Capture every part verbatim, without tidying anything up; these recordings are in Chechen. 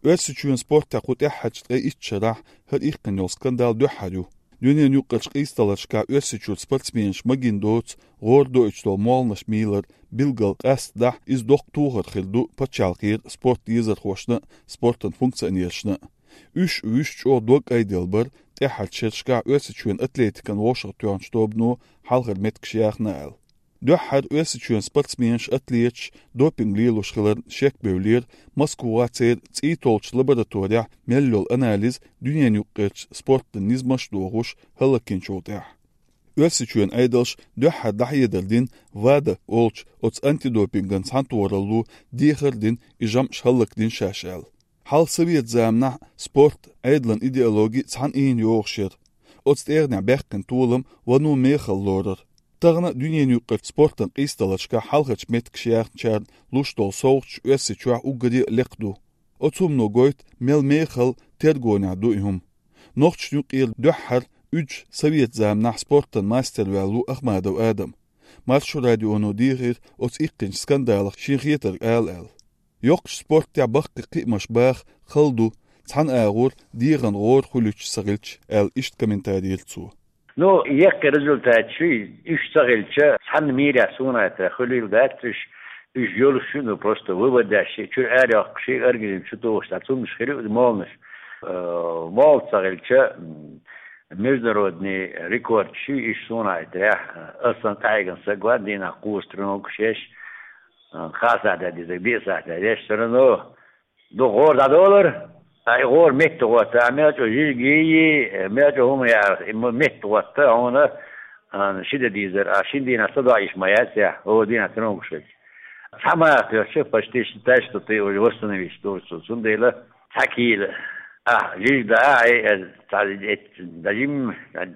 Оьрсийчоьнан спортехь кху тӀаьххьарчу ткъе итт шарахь хӀара иккхина йолу скандал дуьххьара ю. Дуьненаюкъарчу къийсадаларшкахь Оьрсийчуьра спортсменаш магийна доцу гӀора доуьйтуш долу молханаш мийлар билггал къаьстина дахь, иза доккха тохар хир ду пачхьалкхера спорт дезархошна а, спортан функционерашна а. Уьш а, вуьш чӀогӀа дог айделла бара тӀаьххьарчу шерашкахь Оьрсийчоьнан атлетикан вовшахтоьхначу тобано хьалхара меттигаш яхна аьлла. Дуьххьара Оьрсийчоьнан спортсменаш, атлеташ допинг лелош хиларна шек бевллера Москвахь церан цӀий толлучу лабораторехь мел йолу анализ дуьненаюкъарчу спортан низамаш а дохуш хӀаллакйинчул тӀаьхьа. Оьрсийчоьнан Ӏедалша дуьххьара дӀахьедар дина ВАДА олучу оцу антидопинган цхьаьнатохаралло дехар а дина, и жамӀаш хӀаллакдина шаьш аьлла. Хьалха совет заманахь спорт, Ӏедалан идеологи цхьана ийна йогӀуш яра. Оцу тӀегӀанехь баьккхина толам вано мехала лорар. Тахана а дуьненаюкъарчу спортан къийсадаларшкахь хьалхарчу меттигаш яхначарна луш долу совгӀаташ Оьрсийчохь уггаре а лекха ду. Оцу хӀумано гойту мел мехала тергонехь ду и хӀума. Нохчашна юкъера дуьххьара уьдуш совет заманахь спортан мастер ваьлла ву Ахмадов Адам. Маршо радионо дийхира оцу иккхинчу скандалах шен хетарг ала аьлла. Йоккхачу спортехь баккхий кхиамаш баха хала ду, цхьана агӀор дегӀан гӀора хуьлуьйтуш ца хилча, аьлла иштта комментарий йира цо. Ну, яккхий результаташ ю, уьш ца хилча, цхьанна мирехь суна хетарехь хуьлийла дац уьш, уьш йолуш ю, ну, просто вывод деш, чуьра ара йоккхуш, организм чу тухуш, цхьа цуннаш хир ю молханаш. Э, молха ца хилча, м, международный рекорд ю, уьш суна хетарехь, аса санна къахьегна стаг ван дийнахь кхузткъа тренировкаш еш, э, кхаа сахьтехь дезарг диъ сахьтехь еш, всё равно дукха гӀора дӀадолура, ткъа и гӀора метта гӀотта, а мел чӀогӀа жижиг йий, мел чӀогӀа хӀума яра, и ма метта гӀотта, хьуна, а, ши де дийзар, а шина дийнахь ца доӀа йиш ма яц, я, хӀора дийнахь ца ногуш вац. Цхьа маха хьоьхча, почти считай, что ты уже восстановишь, тоже цу-, цундела цхьа кийла. А, жижиг да, а, э, э, цхьа, э, даже м-,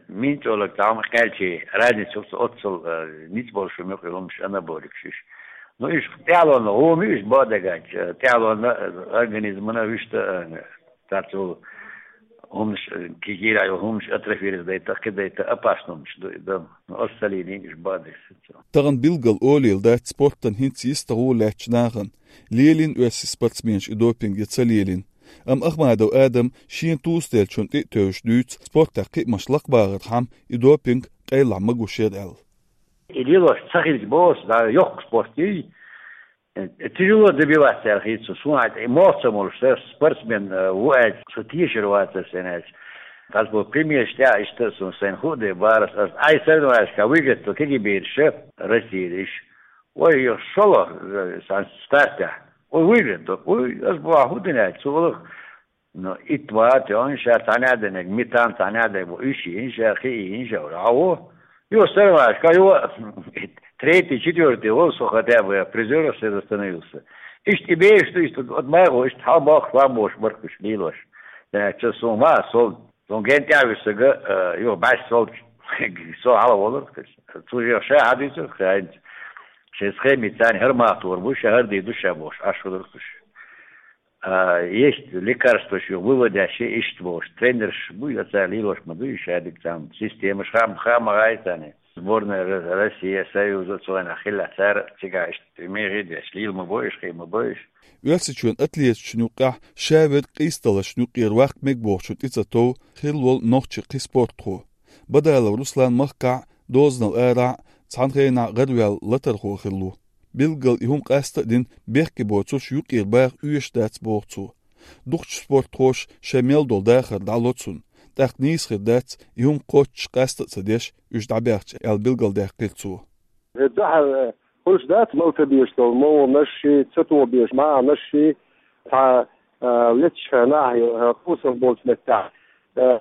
мин чӀолаг цхьа хӀума кхаьлчи, разница оццул, э, ницкъ болуш хӀума ю, хӀумаш анаболикаш уьш. Ну, уьш тӀаьхьалонна гӀома ю, уьш бакъдерг аьлча, тӀаьхьалонна организмана вуьшта, э, царца йолу хӀуманаш, э, кийра йолу хӀуманаш атрофировать дайта, кхин дайта опасный хӀуманаш ду и дан. Ну, аса ца лелийна уьш бакъдерг. Тахана билггал олийла дац спортан хӀинца йист а гӀо лаьттачу нахана, лелийна оьрсийн спортсменаш и допинг я ца лелийна. Амма Ахмадов Адам шена тосаделлачунна тӀе а тевжаш дуьйцу, спортехь кхиамаш лакхабахархьама и допинг къайлахь магош яра аьлла. И лелош ца хилча боху, да, йоккха спорт ю. Э, тяжело добиваться аьлла хета суна, суна хьайта, и мохк ца молуш, сан спортсмен, э, ву аьлча, со тешар вацара сайн аьлча. Тхьаьс бо примераш тӀехь иштта суна сайна хуу де барас, ас ай соревнованиешкахь выиграть до кегий бераш Россия иш. Ой, я шоло, э, сан стартехь. Ой, выиграть до. Ой, ас боху хӀун дина аьлча, цо валах Но итт вац, он ша цхьаьна а динарг, метан цхьаьна а динарг, уьш йина ша, кхин йина ша, а во. Йо, сарвашка, йо, третий, четвертый вол, со хотя бы призёров среди становился. Иштта и беш, что иштта, вот моего, иштта хьал бохуш, вам бохуш, баркуш, лилош. Э, чё, со ма, сол, сон ген тя висага, э, йо, баш сол, со хьал волур, цу жо ша хьадуьйцур, ша, шен схеми царни хӀар махтор бу, ша хӀар ди ду, ша бохуш, аш худур куш. А, есть лекарстваш ю, выводящие иштта бохуш. Тренерш буй, оцара лелош ма дуй, шадиг цхьаьна системаш хам-, хама гӀай царна. Сборная Ро-, Россия, Союза, цу вайнах хилла цара, цигахь иштта мегӀи деш, лийла ма бойуш, хи ма бойуш. Оьрсийчоьнан атлеташна юккъехь шаверг къийсадаларшна юккъера ваккха мега бохучун тӀе ца тов хилла волу нохчи кхин спортхо. Бадалов Руслан махкахь, дозанал арахь, цхьана хенахь гӀараваьлла латархо хилла ву. Билггал и хӀума къаста а дина, бехке боцурш юккъера баха оьшуш дац, боху цо. Дукхачу спортхоша шайн мел долу дахар дӀало цунна. ТӀаккха нийса хир дац, и хӀума кхоччуш къаста а ца деш, уьш дӀабаьхча, аьлла билгалдаьккхира цо. Э, дуьхьал, э, хуьлуш дац малтабеш долу молханаш ши, ца тобеш маьӀнаш ши, цхьа, э, леташ хенахь, э, кхусам болчу меттехь. Э,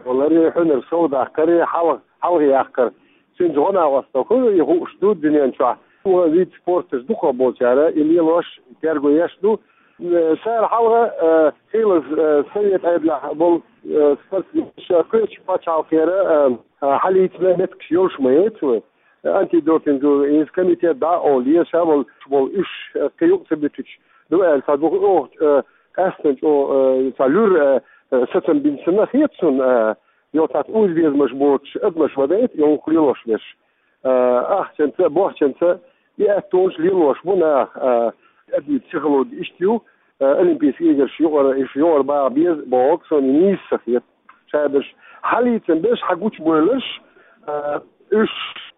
лари, хьуьнар сов даккхари, хьалха, хьалха яккхар. Цуьнца гӀо-накъосталла хуьлу и хууш ду дуьнен чохь. Вид спорташ дукха болчара, и лелош, терго еш ду. Э, цара хьалха, э, хийлаза, э, совет Ӏедалехь болу, э, спортсменаш, кхечу пачхьалкхера, э, хьалийцина меттигаш йолуш ма яц вай. Антидопинговый иза комитет дӀа а олу, еша а волуш болу уьш, э, кхин юкъа ца буьтуьйтуш ду аьлла, цхьа дукха оха, э, къаьстина чӀогӀа, э, цхьа луьра, э, э, сацам бина санна хета суна, э, йо, цхьацца уза безамаш боцуш адамаш ма дайта, йо, хӀух лелош берш. Э, ахчанца, бохчанца и аьттонаш лелош бу наха, э, адамийн психологи иштта ю, Олимпийский играш юкъара, уж юкъара баха беза бохург сона нийса ца хета. Шадерш хьалийца берш, хьагучабойларш, уж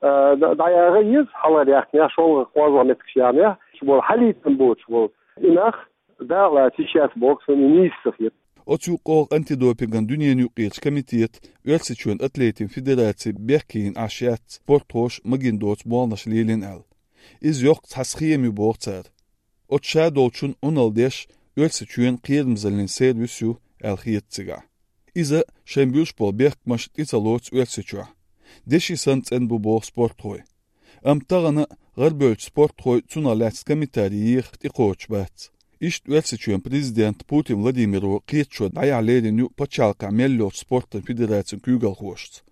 дӀаяха еза, хьалхара яхнех, шолгӀа, кхоалгӀа меттигаш яхнех, уж бола хьалийца боцуш бола и нах дакъа лаца йиш яц бохург сона нийса ца хета. Оцу юкъахь антидопинган дуьненаюкъерчу комитета Оьрсийчоьнан атлетийн федераци бехке йина Ӏаш яц, спортхоша магийна доцу болх лелийна аьлла. Иза йоккха цхьа схема ю боху цара. Оцу шадолчун Ӏуналла деш Оьрсийчоьнан кхерамзаллин сервис ю аьлла хета цигахь. Иза шайн буьллуш болу бехкамаш тӀе ца лоцу Оьрсийчохь. Деши санна цӀена бу боху спортхой. Амма тахана гӀарабевллачу спортхой цунах лаьцна комментарий еха тӀекхочуш бац. Иштта Оьрсийчоьнан президента Путин Владимира кхеташо дӀаяхьа лерина ю пачхьалкхехь мел йолчу спортан федерацин куьйгалхошца.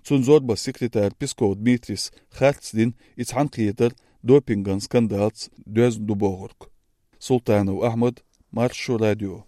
Цуьнан зорбанан секретара Песков Дмитрийс харц дина и цхьаьнакхетар допинган скандалца доьзна ду бохург. Султанов Ахьмад, Маршо радио.